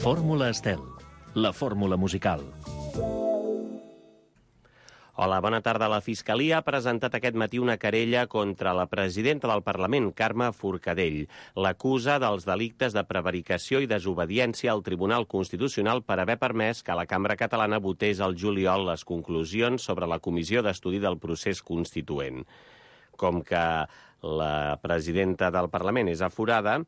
Fórmula Estel, la fórmula musical. Hola, bona tarda. La Fiscalia ha presentat aquest matí una querella contra la presidenta del Parlament, Carme Forcadell. L'acusa dels delictes de prevaricació i desobediència al Tribunal Constitucional per haver permès que la Cambra Catalana votés al juliol les conclusions sobre la Comissió d'Estudi del Procés Constituent. Com que la presidenta del Parlament és aforada,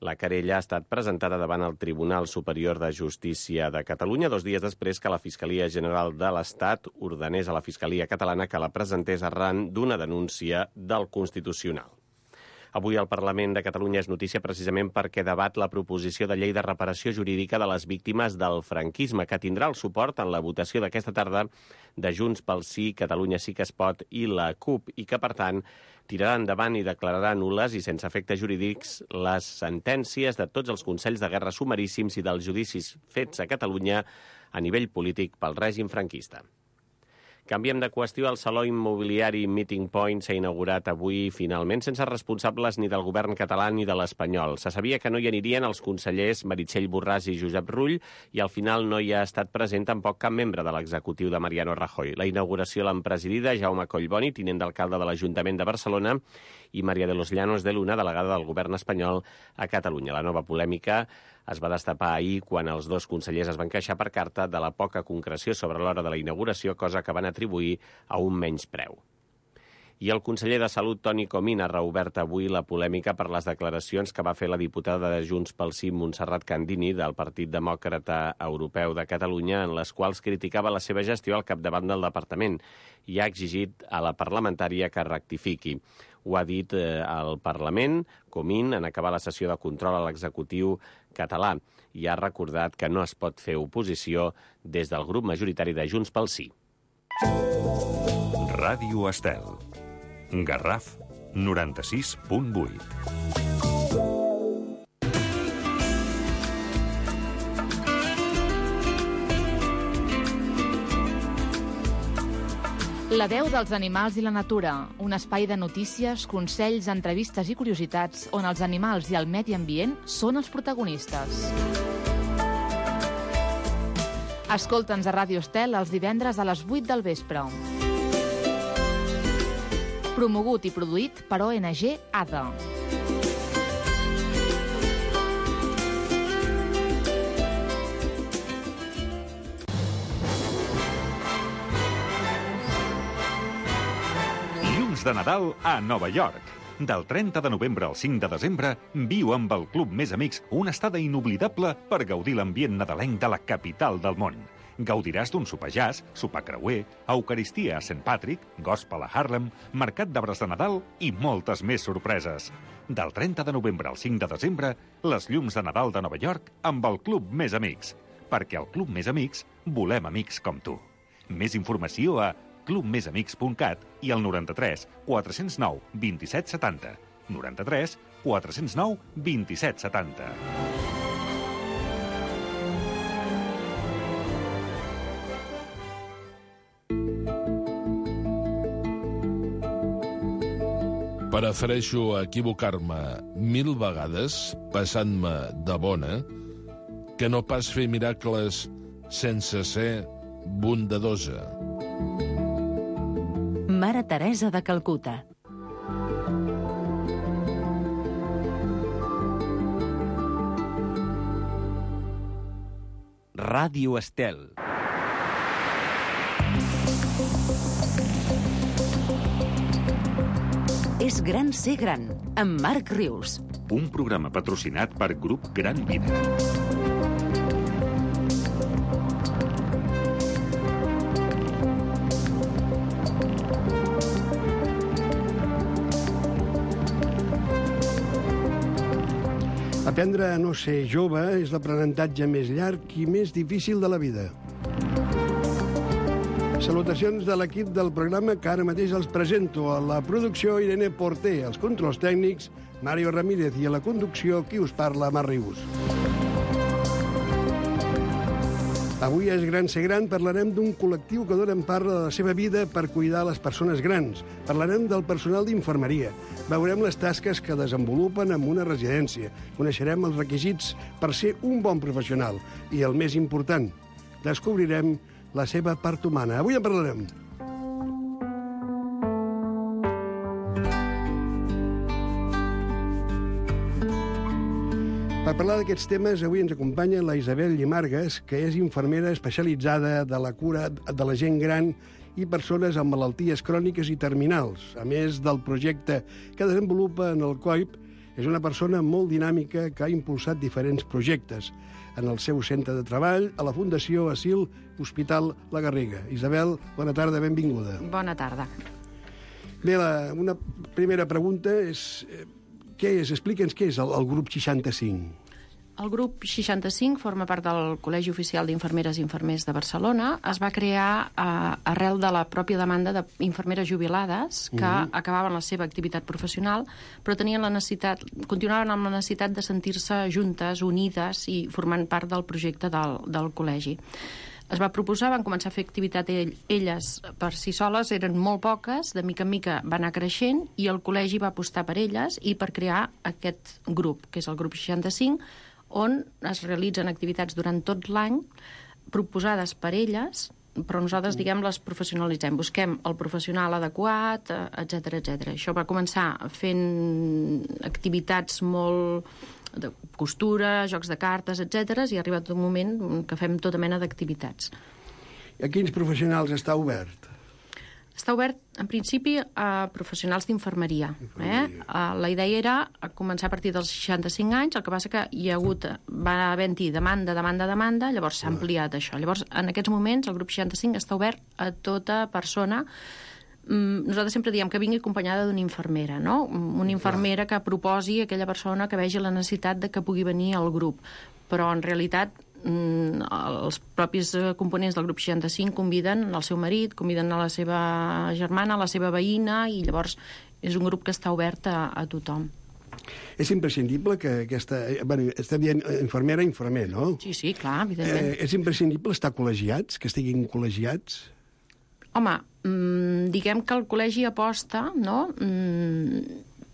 la querella ha estat presentada davant el Tribunal Superior de Justícia de Catalunya 2 dies després que la Fiscalia General de l'Estat ordenés a la Fiscalia Catalana que la presentés arran d'una denúncia del Constitucional. Avui el Parlament de Catalunya és notícia precisament perquè debat la proposició de llei de reparació jurídica de les víctimes del franquisme, que tindrà el suport en la votació d'aquesta tarda de Junts pel Sí, Catalunya Sí que es pot i la CUP, i que, per tant, tirarà endavant i declararà nul·les i sense efectes jurídics les sentències de tots els consells de guerra sumaríssims i dels judicis fets a Catalunya a nivell polític pel règim franquista. Canviem de qüestió. El saló immobiliari Meeting Point s'ha inaugurat avui finalment sense responsables ni del govern català ni de l'espanyol. Se sabia que no hi anirien els consellers Meritxell Borràs i Josep Rull i al final no hi ha estat present tampoc cap membre de l'executiu de Mariano Rajoy. La inauguració l'han presidida Jaume Collboni, tinent d'alcalde de l'Ajuntament de Barcelona, i María de los Llanos de Luna, delegada del govern espanyol a Catalunya. La nova polèmica es va destapar ahir quan els dos consellers es van queixar per carta de la poca concreció sobre l'hora de la inauguració, cosa que van atribuir a un menyspreu. I el conseller de Salut, Toni Comín, ha reobert avui la polèmica per les declaracions que va fer la diputada de Junts pel Sí, Montserrat Candini, del Partit Demòcrata Europeu de Catalunya, en les quals criticava la seva gestió al capdavant del departament i ha exigit a la parlamentària que rectifiqui. Ho ha dit al Parlament, Comín, en acabar la sessió de control a l'executiu català, i ha recordat que no es pot fer oposició des del grup majoritari de Junts pel Sí. Ràdio Estel. Garraf 96.8. La veu dels animals i la natura, un espai de notícies, consells, entrevistes i curiositats on els animals i el medi ambient són els protagonistes. Escolta'ns a Ràdio Estel els divendres a les 8 del vespre. Promogut i produït per ONG ADA. De Nadal a Nova York. Del 30 de novembre al 5 de desembre, viu amb el Club Més Amics una estada inoblidable per gaudir l'ambient nadalenc de la capital del món. Gaudiràs d'un sopar jazz, sopar creuer, eucaristia a St. Patrick, gospel a Harlem, mercat d'arbres de Nadal i moltes més sorpreses. Del 30 de novembre al 5 de desembre, les llums de Nadal de Nova York amb el Club Més Amics. Perquè al Club Més Amics volem amics com tu. Més informació a clubmesamics.cat i al 93 409 27 70. 93 409 27 70. Prefereixo equivocar-me 1000 vegades, passant-me de bona, que no pas fer miracles sense ser bondadosa. Mare Teresa de Calcuta. Ràdio Estel. És gran ser gran, amb Marc Rius. Un programa patrocinat per Grup Gran Vida. Aprendre a no ser jove és l'aprenentatge més llarg i més difícil de la vida. Salutacions de l'equip del programa que ara mateix els presento. A la producció, Irene Porter, als controls tècnics, Mario Ramírez, i a la conducció, qui us parla, Marc Rius. Avui a Es Gran Ser Gran parlarem d'un col·lectiu que dona en part de la seva vida per cuidar les persones grans. Parlarem del personal d'infermeria. Veurem les tasques que desenvolupen en una residència. Coneixerem els requisits per ser un bon professional. I el més important, descobrirem la seva part humana. Avui en parlarem. Per parlar d'aquests temes, avui ens acompanya la Isabel Llimargues, que és infermera especialitzada de la cura de la gent gran i persones amb malalties cròniques i terminals. A més del projecte que desenvolupa en el COIP, és una persona molt dinàmica que ha impulsat diferents projectes en el seu centre de treball, a la Fundació Asil Hospital La Garriga. Isabel, bona tarda, benvinguda. Bona tarda. Bé, una primera pregunta és... Què és? Explica'ns què és el grup 65. El grup 65 forma part del Col·legi Oficial d'Infermeres i Infermers de Barcelona. Es va crear arrel de la pròpia demanda d'infermeres jubilades que acabaven la seva activitat professional, però tenien la necessitat, continuaven amb la necessitat de sentir-se juntes, unides i formant part del projecte del col·legi. Es va proposar, van començar a fer activitat elles per si soles, eren molt poques, de mica en mica va anar creixent i el col·legi va apostar per elles i per crear aquest grup, que és el grup 65, on es realitzen activitats durant tot l'any proposades per elles, però nosaltres, diguem, les professionalitzem. Busquem el professional adequat, etc etc. Això va començar fent activitats molt de costura, jocs de cartes, etc. i ha arribat un moment que fem tota mena d'activitats. A quins professionals està obert? Està obert, en principi, a professionals d'infermeria. La idea era començar a partir dels 65 anys, el que passa que va haver-hi demanda, llavors s'ha ampliat això. Llavors, en aquests moments, el grup 65 està obert a tota persona. Nosaltres sempre diem que vingui acompanyada d'una infermera, no? Una infermera que proposi a aquella persona que vegi la necessitat de que pugui venir al grup. Però, en realitat, els propis components del grup 65 conviden el seu marit, conviden a la seva germana, a la seva veïna, i llavors és un grup que està obert a tothom. És imprescindible que aquesta... estem dient infermera, infermer, no? Sí, clar, evidentment. És imprescindible estar col·legiats, que estiguin col·legiats? Home, diguem que el col·legi aposta, no?,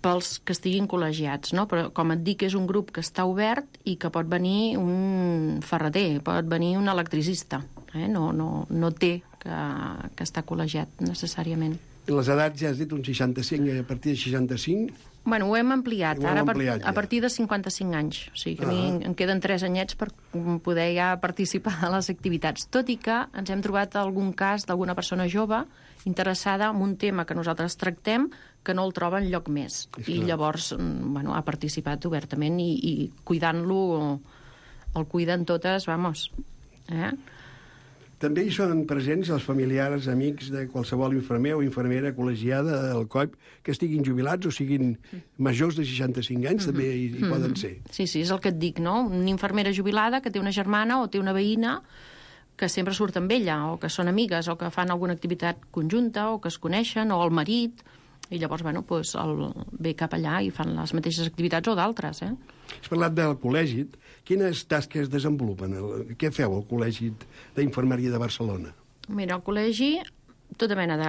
pels que estiguin col·legiats, no? Però, com et dic, és un grup que està obert i que pot venir un ferreter, pot venir un electricista. No té que estar col·legiat, necessàriament. Les edats, ja has dit, un 65, a partir de 65... Bueno, ho hem ampliat, a partir de 55 anys. O sigui que a mi em queden 3 anyets per poder ja participar a les activitats. Tot i que ens hem trobat algun cas d'alguna persona jove interessada en un tema que nosaltres tractem que no el troba enlloc més. I llavors ha participat obertament i cuidant-lo, el cuiden totes, vamos. També hi són presents els familiars, amics de qualsevol infermer o infermera col·legiada del COIP que estiguin jubilats o siguin majors de 65 anys, també hi poden ser. Sí, és el que et dic, no? Una infermera jubilada que té una germana o té una veïna que sempre surt amb ella, o que són amigues, o que fan alguna activitat conjunta, o que es coneixen, o el marit, i llavors, ve cap allà i fan les mateixes activitats o d'altres, Has parlat del col·legi. Quines tasques desenvolupen? Què feu al Col·legi d'Infermeria de Barcelona? Mira, al col·legi, tota mena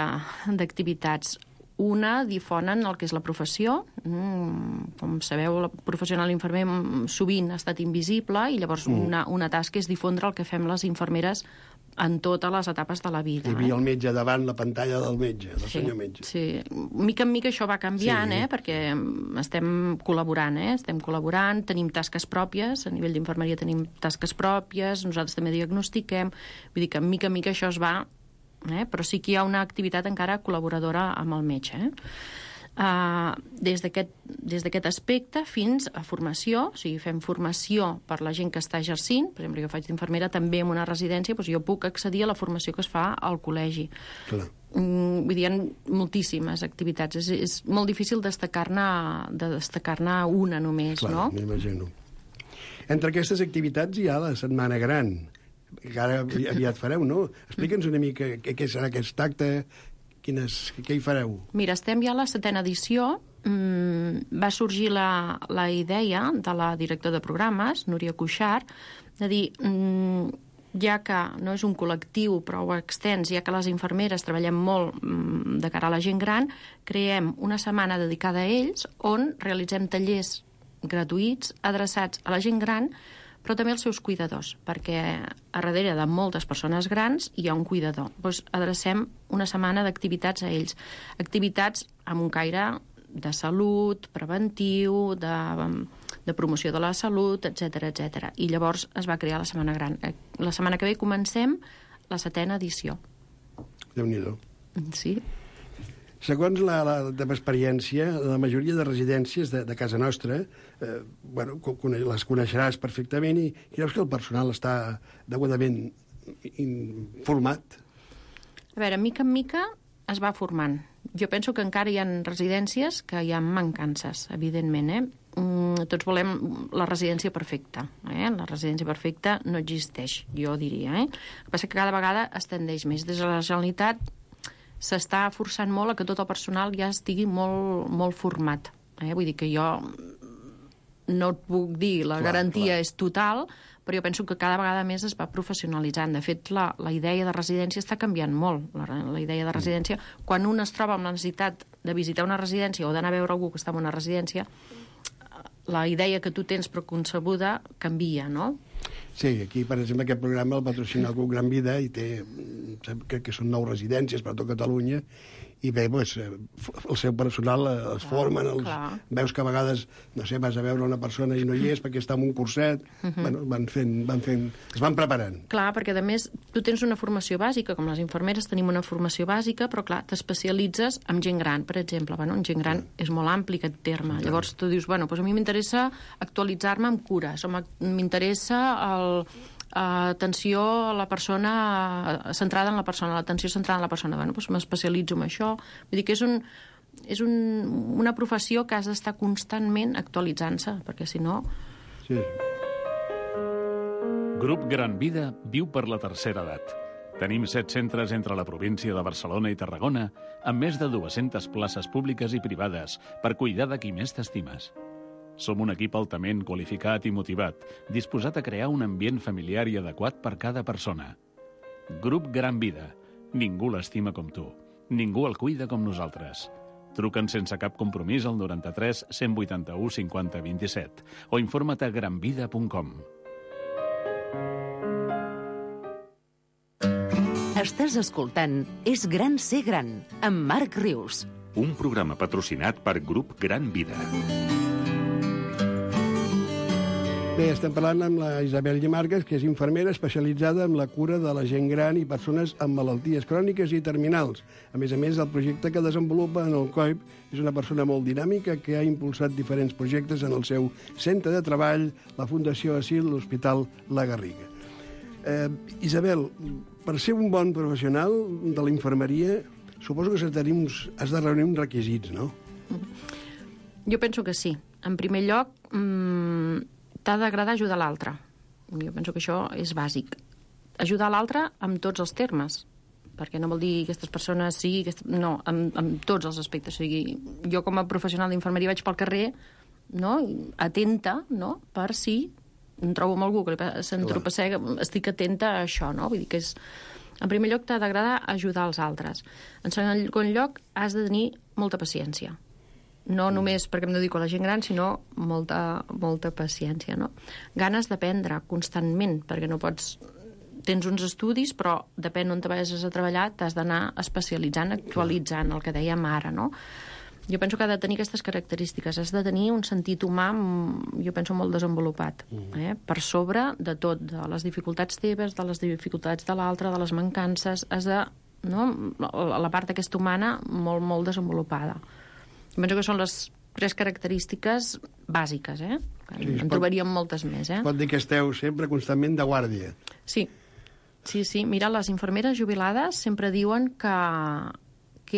d'activitats. Una, difonen el que és la professió. Com sabeu, el professional infermer sovint ha estat invisible i llavors una tasca és difondre el que fem les infermeres en totes les etapes de la vida. Hi havia el metge davant, la pantalla del metge, del senyor metge. Sí, mica en mica això va canviant, perquè estem col·laborant, tenim tasques pròpies, a nivell d'infermeria tenim tasques pròpies, nosaltres també diagnostiquem, vull dir que mica en mica això es va, però sí que hi ha una activitat encara col·laboradora amb el metge, des d'aquest aspecte fins a formació, o sigui, fem formació per la gent que està exercint, per exemple, jo faig d'infermera també en una residència, doncs jo puc accedir a la formació que es fa al col·legi. Clar. Vull dir, hi ha moltíssimes activitats, és molt difícil destacar-ne una només, clar, no? M'imagino. Entre aquestes activitats hi ha la Setmana Gran, que ara aviat fareu, no? Explica'ns una mica què serà aquest acte, què hi fareu? Mira, estem ja a la 7ª edició. Va sorgir la idea de la directora de programes, Núria Cuixart, de dir ja que no és un col·lectiu prou extens, ja que les infermeres treballem molt de cara a la gent gran, creem una setmana dedicada a ells on realitzem tallers gratuïts adreçats a la gent gran, però també als seus cuidadors, perquè a darrere de moltes persones grans hi ha un cuidador. Doncs adrecem una setmana d'activitats a ells. Activitats amb un caire de salut, preventiu, de promoció de la salut, etc etc. I llavors es va crear la Setmana Gran. La setmana que ve comencem la 7ª edició. Déu-n'hi-do. Sí. Segons la teva experiència, la majoria de residències de casa nostra, les coneixeràs perfectament i creus que el personal està degudament format? A veure, mica en mica es va formant. Jo penso que encara hi ha residències que hi ha mancances, evidentment, Tots volem la residència perfecta. La residència perfecta no existeix, jo diria. El que passa que cada vegada es tendeix més. Des de la Generalitat s'està forçant molt a que tot el personal ja estigui molt format. Vull dir que jo no et puc dir la garantia és total, però jo penso que cada vegada més es va professionalitzant. De fet, la idea de residència està canviant molt. La idea de residència, quan un es troba amb la necessitat de visitar una residència o d'anar a veure algú que està en una residència, la idea que tu tens preconcebuda canvia, no? Sí, aquí, per exemple, aquest programa el patrocina el Grup Gran Vida i té, crec que són 9 residències per tot Catalunya, i bé, doncs, el seu personal es formen, veus que a vegades, no sé, vas a veure una persona i no hi és perquè està en un curset, bueno, es van preparant. Clar, perquè a més tu tens una formació bàsica, com les infermeres tenim una formació bàsica, però clar, t'especialitzes en gent gran, per exemple. Bueno, en gent gran és molt ampli aquest terme. Llavors tu dius, bueno, doncs a mi m'interessa actualitzar-me en cures, o m'interessa atenció a la persona centrada en la persona, l'atenció centrada en la persona. Bueno, doncs m'especialitzo en això. Vull dir que és una professió que has d'estar constantment actualitzant-se, perquè si no... Sí. Grup Gran Vida viu per la tercera edat. Tenim 7 centres entre la província de Barcelona i Tarragona, amb més de 200 places públiques i privades per cuidar de qui més t'estimes. Som un equip altament qualificat i motivat, disposat a crear un ambient familiar i adequat per cada persona. Grup Gran Vida. Ningú l'estima com tu. Ningú el cuida com nosaltres. Truca'ns sense cap compromís al 93 181 50 27 o informa't a granvida.com. Estàs escoltant És gran ser gran, amb Marc Rius. Un programa patrocinat per Grup Gran Vida. Bé, estem parlant amb la Isabel Llimargues, que és infermera especialitzada en la cura de la gent gran i persones amb malalties cròniques i terminals. A més, el projecte que desenvolupa en el COIP és una persona molt dinàmica que ha impulsat diferents projectes en el seu centre de treball, la Fundació Asil, l'Hospital La Garriga. Isabel, per ser un bon professional de la infermeria, suposo que has de reunir uns requisits, no? Jo penso que sí. En primer lloc, t'ha d'agradar ajudar l'altre. Jo penso que això és bàsic. Ajudar l'altre amb tots els termes, perquè no vol dir aquestes persones sí, no, amb tots els aspectes. O sigui, jo com a professional d'infermeria vaig pel carrer, no?, atenta, no?, per si em trobo amb algú que s'entropeçega, estic atenta a això, no? Vull dir que és... En primer lloc, t'ha d'agradar ajudar els altres. En segon lloc, has de tenir molta paciència. No només perquè em dedico a la gent gran, sinó molta paciència, no? Ganes d'aprendre constantment, perquè no pots... Tens uns estudis, però depèn on te vagis a treballar, t'has d'anar especialitzant, actualitzant, el que dèiem ara, no? Jo penso que ha de tenir aquestes característiques. Has de tenir un sentit humà, jo penso, molt desenvolupat, per sobre de tot, de les dificultats teves, de les dificultats de l'altre, de les mancances. Has de... No? La part aquesta humana molt desenvolupada. Penso que són les 3 característiques bàsiques, Sí, en trobaríem moltes més, Pot dir que esteu sempre constantment de guàrdia. Sí. Mira, les infermeres jubilades sempre diuen que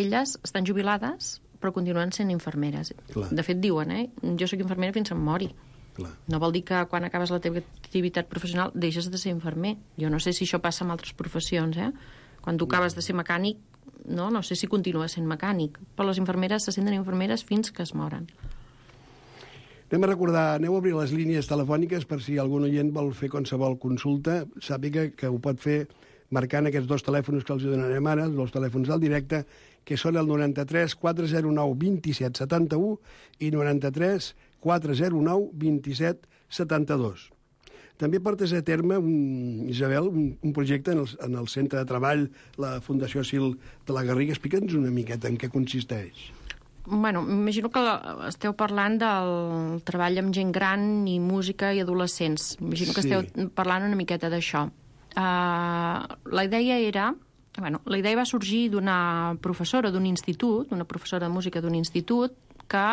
elles estan jubilades però continuen sent infermeres. Clar. De fet, diuen, jo soc infermera fins em mori. Clar. No vol dir que quan acabes la teva activitat professional deixes de ser infermer. Jo no sé si això passa amb altres professions, Quan tu acabes de ser mecànic, no sé si continua sent mecànic, però les infermeres se senten infermeres fins que es moren. Anem a recordar, aneu a obrir les línies telefòniques per si algun oient vol fer qualsevol consulta, sàpiga que ho pot fer marcant aquests dos telèfons que els donarem ara, els dos telèfons del directe, que són el 93 409 27 71 i 93 409 27 72. També portes a terme, Isabel, un projecte en el centre de treball, la Fundació Sil de la Garriga. Explica'ns una miqueta en què consisteix. Bueno, m'imagino que esteu parlant del treball amb gent gran i música i adolescents. M'imagino que esteu parlant una miqueta d'això. La idea va sorgir d'una professora d'un institut, una professora de música d'un institut, que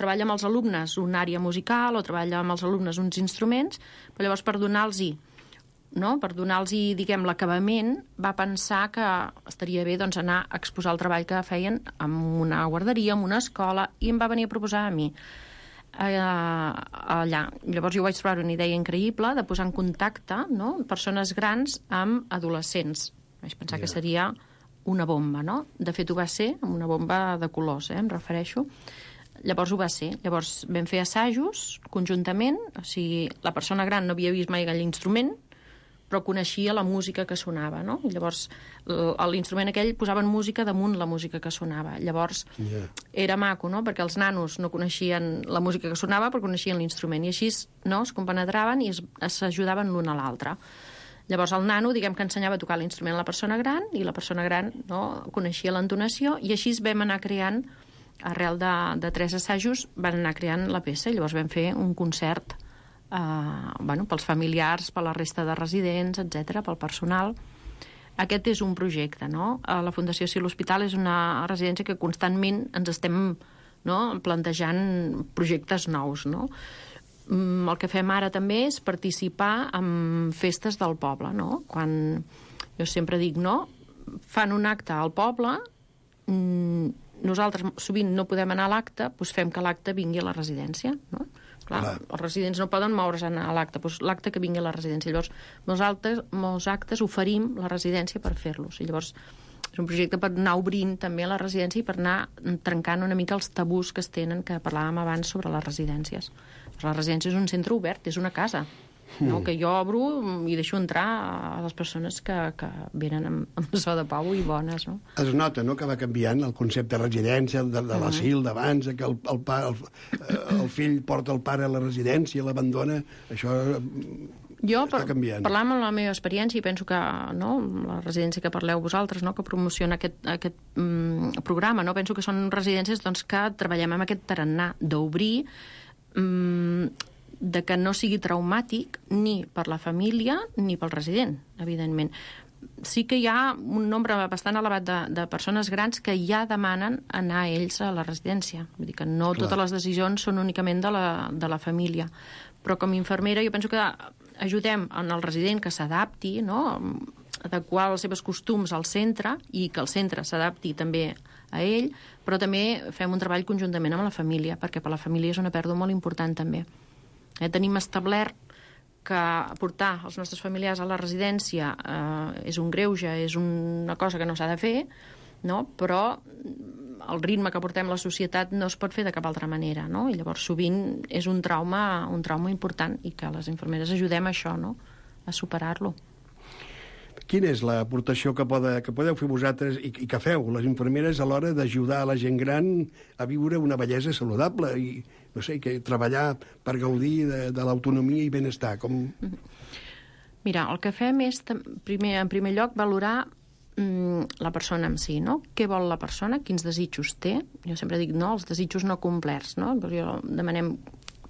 treballa amb els alumnes una àrea musical o treballa amb els alumnes uns instruments, però llavors per donar-los, diguem, l'acabament, va pensar que estaria bé anar a exposar el treball que feien en una guarderia, en una escola, i em va venir a proposar a mi allà. Llavors jo vaig trobar una idea increïble de posar en contacte persones grans amb adolescents. Vaig pensar que seria una bomba, no? De fet, ho va ser, amb una bomba de colors, em refereixo. Llavors ho va ser. Llavors vam fer assajos conjuntament, o sigui, la persona gran no havia vist mai aquell instrument, però coneixia la música que sonava, no? I llavors l'instrument aquell posaven música damunt la música que sonava. Llavors era maco, no? Perquè els nanos no coneixien la música que sonava, però coneixien l'instrument. I així es compenetraven i s'ajudaven l'un a l'altre. Llavors el nano, diguem que ensenyava a tocar l'instrument a la persona gran i la persona gran coneixia l'entonació, i així vam anar creant, arrel de 3 assajos, van anar creant la peça. I llavors vam fer un concert pels familiars, per la resta de residents, etc, pel personal. Aquest és un projecte, no? La Fundació Sil Hospital és una residència que constantment ens estem plantejant projectes nous, no? El que fem ara també és participar en festes del poble, no? Quan jo sempre dic, fan un acte al poble, nosaltres sovint no podem anar a l'acte, doncs fem que l'acte vingui a la residència, no? Clar, els residents no poden moure's a anar a l'acte, doncs l'acte que vingui a la residència. Llavors, molts actes oferim la residència per fer-los. I llavors és un projecte per anar obrint també a la residència i per anar trencant una mica els tabús que es tenen, que parlàvem abans sobre les residències. La residència és un centre obert, és una casa, que jo obro i deixo entrar a les persones que venen amb so de pau i bones. No? Es nota que va canviant el concepte de residència, de l'asil d'abans, que el fill porta el pare a la residència i l'abandona. Això està canviant. Parlant amb la meva experiència, i penso que la residència que parleu vosaltres, que promociona aquest programa, penso que són residències que treballem amb aquest tarannà d'obrir, de que no sigui traumàtic ni per la família ni pel resident, evidentment. Sí que hi ha un nombre bastant elevat de persones grans que ja demanen anar ells a la residència. Vull dir que no totes les decisions són únicament de la família. Però com a infermera jo penso que ajudem en el resident que s'adapti, adequar els seus costums al centre i que el centre s'adapti també a ell, però també fem un treball conjuntament amb la família, perquè per la família és una pèrdua molt important també. Tenim establert que portar els nostres familiars a la residència és un greuge, és una cosa que no s'ha de fer, però el ritme que portem la societat no es pot fer de cap altra manera, i llavors sovint és un trauma important i que les infermeres ajudem a això, a superar-lo. Quina és l'aportació que podeu fer vosaltres i que feu, les infermeres, a l'hora d'ajudar a la gent gran a viure una bellesa saludable i, no sé, treballar per gaudir de l'autonomia i benestar? Mira, el que fem és, en primer lloc, valorar la persona en si, Què vol la persona, quins desitjos té. Jo sempre dic, els desitjos no complerts, Jo demanem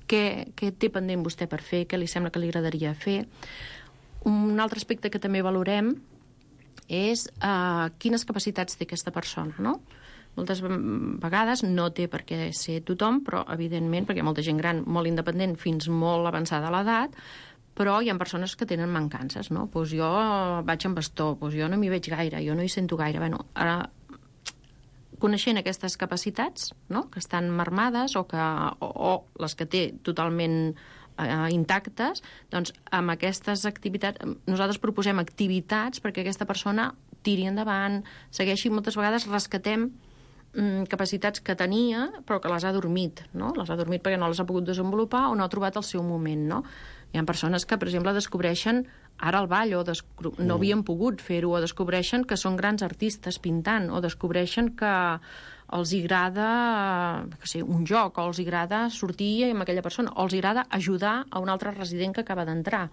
què té pendent vostè per fer, què li sembla que li agradaria fer. Un altre aspecte que també valorem és quines capacitats té aquesta persona, Moltes vegades no té per què ser tothom, però evidentment, perquè hi ha molta gent gran molt independent fins molt avançada a l'edat, però hi ha persones que tenen mancances, Doncs jo vaig amb bastó, doncs jo no m'hi veig gaire, jo no hi sento gaire. Ara, coneixent aquestes capacitats, que estan marmades o les que té totalment intactes, doncs amb aquestes activitats nosaltres proposem activitats perquè aquesta persona tiri endavant, segueixi. Moltes vegades rescatem capacitats que tenia, però que les ha dormit, no? Les ha dormit perquè no les ha pogut desenvolupar o no ha trobat el seu moment, no? Hi ha persones que, per exemple, descobreixen ara el ball, o no havien pogut fer-ho, o descobreixen que són grans artistes pintant, o descobreixen que els agrada un joc, o els agrada sortir amb aquella persona, o els agrada ajudar a un altre resident que acaba d'entrar.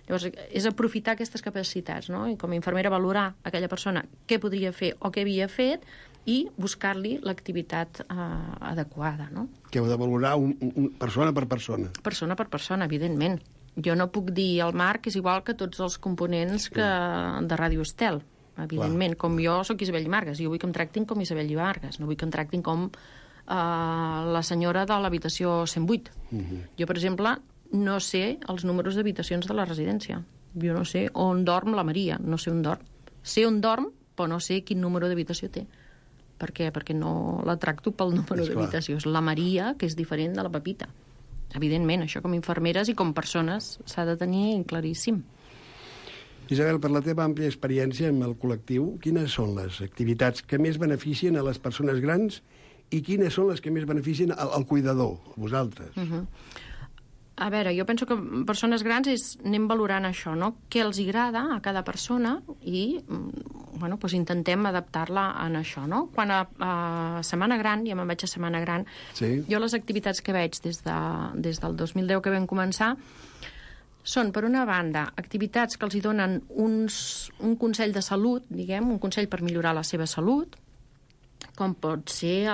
Llavors, és aprofitar aquestes capacitats, no? I com a infermera valorar aquella persona què podria fer o què havia fet i buscar-li l'activitat adequada, no? Que heu de valorar persona per persona. Persona per persona, evidentment. Jo no puc dir al Marc és igual que tots els components de Ràdio Estel, evidentment. Clar. Com jo soc Isabel Llimargues, jo vull que em tractin com Isabel Llimargues, no vull que em tractin com la senyora de l'habitació 108. Jo, per exemple, no sé els números d'habitacions de la residència. Jo no sé on dorm la Maria, no sé on dorm. Sé on dorm, però no sé quin número d'habitació té. Per què? Perquè no la tracto pel número d'habitació. És la Maria, que és diferent de la Pepita. Evidentment, això com a infermeres i com persones s'ha de tenir claríssim. Isabel, per la teva àmplia experiència amb el col·lectiu, quines són les activitats que més beneficien a les persones grans i quines són les que més beneficien al cuidador, a vosaltres? A veure, jo penso que persones grans anem valorant això, no? Què els agrada a cada persona i intentem adaptar-la a això, no? Quan a Setmana Gran, ja me'n vaig a Setmana Gran, jo les activitats que veig des del 2010 que vam començar són, per una banda, activitats que els hi donen un consell de salut, diguem, un consell per millorar la seva salut, com pot ser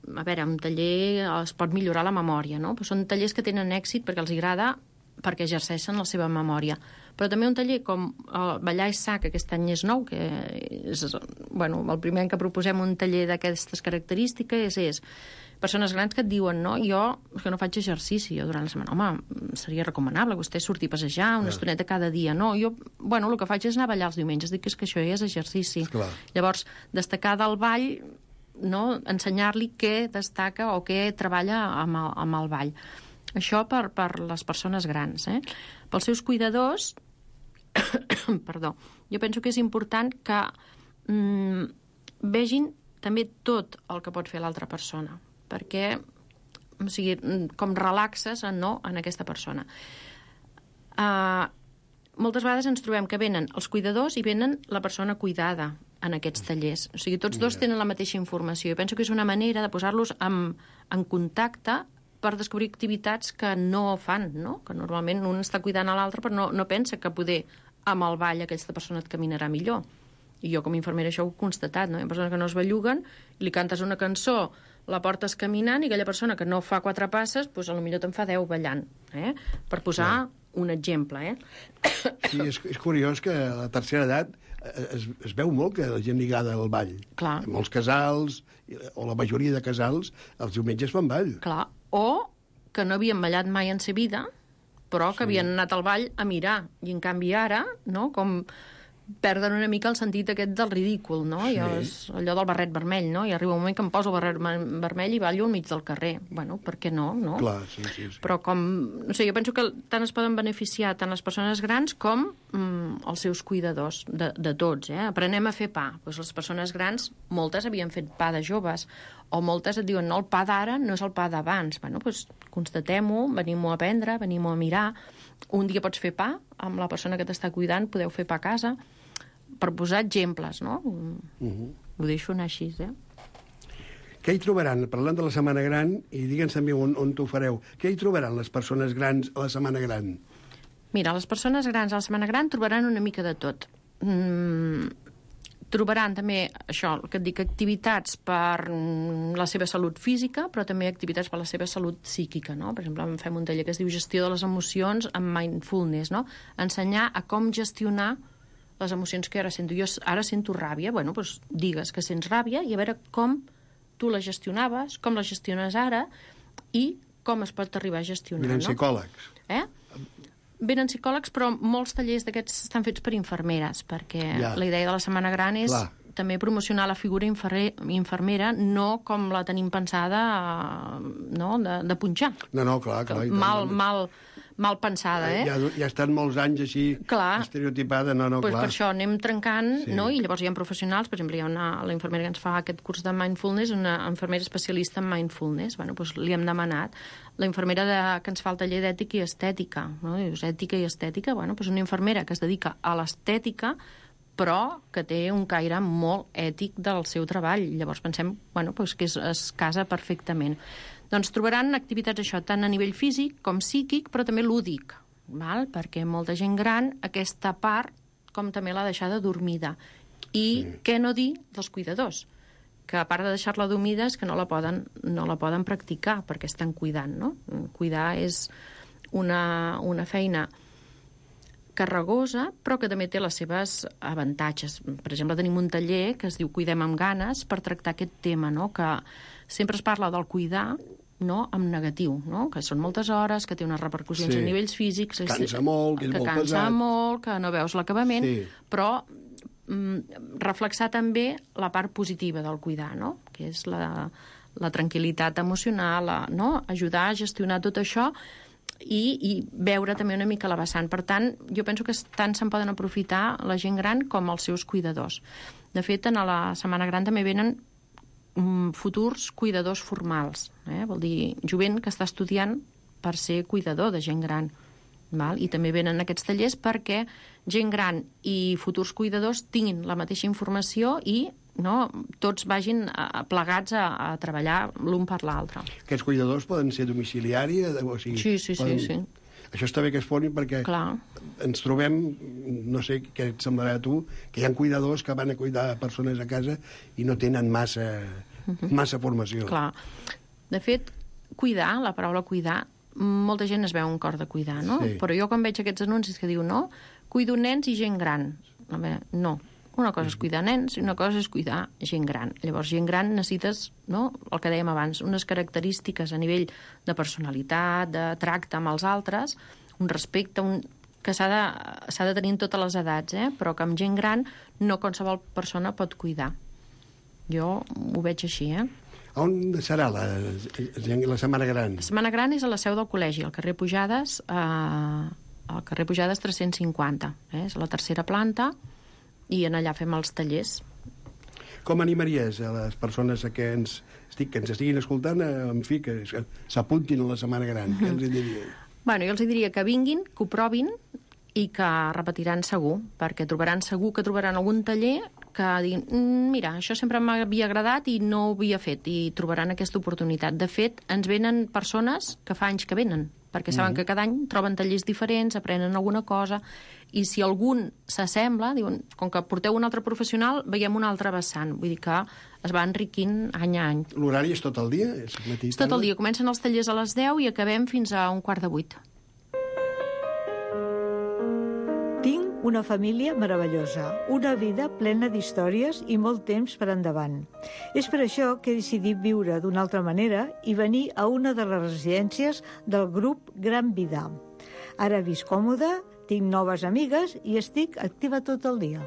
un taller es pot millorar la memòria, no? Però són tallers que tenen èxit perquè els agrada, perquè exerceixen la seva memòria. Però també un taller com Ballar és sa, que aquest any és nou, que és el primer any que proposem un taller d'aquestes característiques és persones grans que et diuen, no, jo és que no faig exercici jo durant la setmana. Home, seria recomanable que vostè surti a passejar una estoneta cada dia. No, jo, el que faig és anar a ballar els diumenges, dic que és que això ja és exercici. Esclar. Llavors, destacar del ball, no, ensenyar-li què destaca o què treballa amb el ball. Això per les persones grans. Pels seus cuidadors, perdó, jo penso que és important que vegin també tot el que pot fer l'altra persona, perquè com relaxes en aquesta persona. Moltes vegades ens trobem que venen els cuidadors i venen la persona cuidada en aquests tallers. O sigui, tots dos tenen la mateixa informació. Jo penso que és una manera de posar-los en contacte per descobrir activitats que no fan, no? Que normalment un està cuidant a l'altre però no pensa que poder amb el ball aquesta persona et caminarà millor. I jo com a infermera això ho he constatat, no? Hi ha persones que no es belluguen, li cantes una cançó, la portes caminant i aquella persona que no fa 4 passes, doncs potser te'n fa 10 ballant, per posar un exemple. Sí, és curiós que a la tercera edat es veu molt que la gent lligada al ball. Clar. Molts casals, o la majoria de casals, els diumenges fan ball. Clar, o que no havien ballat mai en sa vida, però que havien anat al ball a mirar. I en canvi ara, no?, com perden una mica el sentit aquest del ridícul, no? Sí. Allò del barret vermell, no? I arriba un moment que em poso el barret vermell i ballo al mig del carrer. Bueno, per què no? Clar, sí. Però no sé, jo penso que tant es poden beneficiar tant les persones grans com els seus cuidadors, de tots, Aprenem a fer pa. Doncs les persones grans, moltes havien fet pa de joves, o moltes et diuen, no, el pa d'ara no és el pa d'abans. Bueno, doncs constatem-ho, venim-ho a aprendre, venim-ho a mirar. Un dia pots fer pa amb la persona que t'està cuidant, podeu fer pa a casa, per posar exemples, no? Ho deixo anar així, Què hi trobaran? Parlant de la Setmana Gran, i digue'ns també on t'ho fareu, què hi trobaran les persones grans a la Setmana Gran? Mira, les persones grans a la Setmana Gran trobaran una mica de tot. Trobaran també, això, el que et dic, activitats per la seva salut física, però també activitats per la seva salut psíquica, no? Per exemple, fem un taller que es diu Gestió de les emocions amb mindfulness, no? Ensenyar a com gestionar les emocions que ara sento. Jo ara sento ràbia, bueno, doncs digues que sents ràbia i a veure com tu la gestionaves, com la gestiones ara i com es pot arribar a gestionar, no? Venen psicòlegs. Venen psicòlegs, però molts tallers d'aquests estan fets per infermeres, perquè la idea de la Setmana Gran és també promocionar la figura infermera, no com la tenim pensada, no?, de punxar. No, clar. mal pensada, Ja estan molts anys així estereotipada, clar. Clar. Per això anem trencant, no? I llavors hi ha professionals, per exemple, hi ha la infermera que ens fa aquest curs de mindfulness, una infermera especialista en mindfulness, doncs li hem demanat. La infermera que ens fa el taller d'ètica i estètica, no? Dius, ètica i estètica, doncs una infermera que es dedica a l'estètica, però que té un caire molt ètic del seu treball. Llavors pensem que es casa perfectament. Doncs trobaran activitats això, tant a nivell físic com psíquic, però també lúdic, perquè molta gent gran aquesta part com també l'ha deixada dormida. I què no dir dels cuidadors? Que a part de deixar-la dormida és que no la poden practicar perquè estan cuidant, no? Cuidar és una feina carregosa, però que també té les seves avantatges. Per exemple, tenim un taller que es diu Cuidem amb ganes per tractar aquest tema, no? Que sempre es parla del cuidar, no? En negatiu, no? Que són moltes hores, que té unes repercussions a nivells físics... Cansa molt, que és molt pesat. Que cansa molt, que no veus l'acabament, però reflexar també la part positiva del cuidar, no? Que és la tranquil·litat emocional, no? Ajudar a gestionar tot això i veure també una mica la vessant. Per tant, jo penso que tant se'n poden aprofitar la gent gran com els seus cuidadors. De fet, a la Setmana Gran també venen futurs cuidadors formals. Vol dir, jovent que està estudiant per ser cuidador de gent gran. I també venen aquests tallers perquè gent gran i futurs cuidadors tinguin la mateixa informació i tots vagin plegats a treballar l'un per l'altre. Aquests cuidadors poden ser domiciliaris? Sí. Això està bé que es formin perquè ens trobem, no sé què et semblarà a tu, que hi ha cuidadors que van a cuidar persones a casa i no tenen massa formació. Clar. De fet, cuidar, la paraula cuidar, molta gent es veu un cor de cuidar, no? Sí. Però jo quan veig aquests anuncis que diu cuido nens i gent gran. No. Una cosa és cuidar nens i una cosa és cuidar gent gran. Llavors, gent gran necessites, el que dèiem abans, unes característiques a nivell de personalitat, de tracte amb els altres, un respecte, que s'ha de tenir en totes les edats, però que amb gent gran no qualsevol persona pot cuidar. Jo ho veig així, On serà la Setmana Gran? La Setmana Gran és a la seu del col·legi, al carrer Pujades, al carrer Pujades 350. És a la tercera planta, i en allà fem els tallers. Com animaries a les persones que ens estiguin escoltant, en fi, que s'apuntin a la Setmana Gran? Què els diries? Jo els diria que vinguin, que ho provin i que repetiran segur, perquè trobaran algun taller que diguin, mira, això sempre m'havia agradat i no ho havia fet, i trobaran aquesta oportunitat. De fet, ens venen persones que fa anys que venen, perquè saben que cada any troben tallers diferents, aprenen alguna cosa, i si algun s'assembla, diuen, com que porteu un altre professional, veiem un altre vessant. Vull dir que es va enriquint any a any. L'horari és tot el dia? És tot el dia. Comencen els tallers a les 10 i acabem fins a 7:15. Tinc una família meravellosa, una vida plena d'històries i molt temps per endavant. És per això que he decidit viure d'una altra manera i venir a una de les residències del grup Gran Vida. Ara visc còmode, tinc noves amigues i estic activa tot el dia.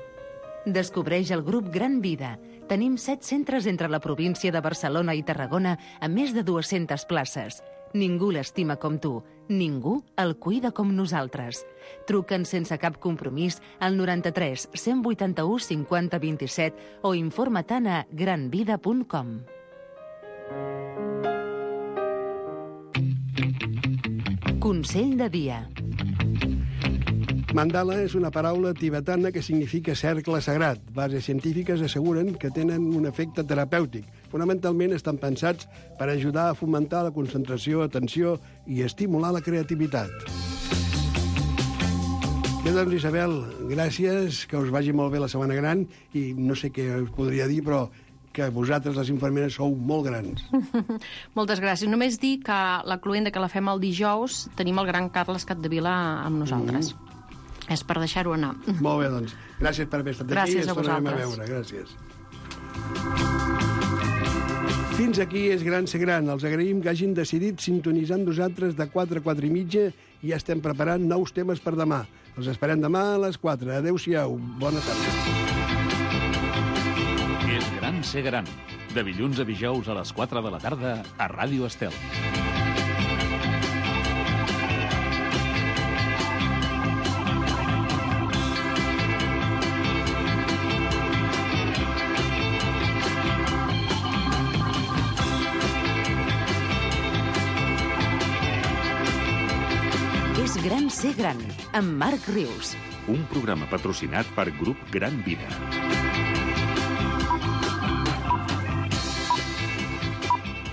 Descobreix el grup Gran Vida. Tenim 7 centres entre la província de Barcelona i Tarragona amb més de 200 places. Ningú l'estima com tu. Ningú el cuida com nosaltres. Truca'ns sense cap compromís al 93 181 50 27 o informa-te'n a granvida.com. Consell de dia. Mandala és una paraula tibetana que significa cercle sagrat. Bases científiques asseguren que tenen un efecte terapèutic. Fonamentalment estan pensats per ajudar a fomentar la concentració, atenció i estimular la creativitat. Bé, doncs, Isabel, gràcies, que us vagi molt bé la Setmana Gran, i no sé què us podria dir, però que vosaltres, les infermeres, sou molt grans. Moltes gràcies. Només dir que la cloenda que la fem el dijous tenim el gran Carles Capdevila amb nosaltres. És per deixar-ho anar. Molt bé, doncs. Gràcies per haver estat aquí. Gràcies a vosaltres. A veure. Gràcies. Fins aquí és Gran Ser Gran. Els agraïm que hagin decidit sintonitzar amb nosaltres de 4 a 4 i mitja i ja estem preparant nous temes per demà. Els esperem demà a les 4. Adéu-siau. Bona tarda. És Gran Ser Gran. De dilluns a dijous a les 4 de la tarda a Ràdio Estel. Gran ser gran, amb Marc Rius. Un programa patrocinat per Grup Gran Vida.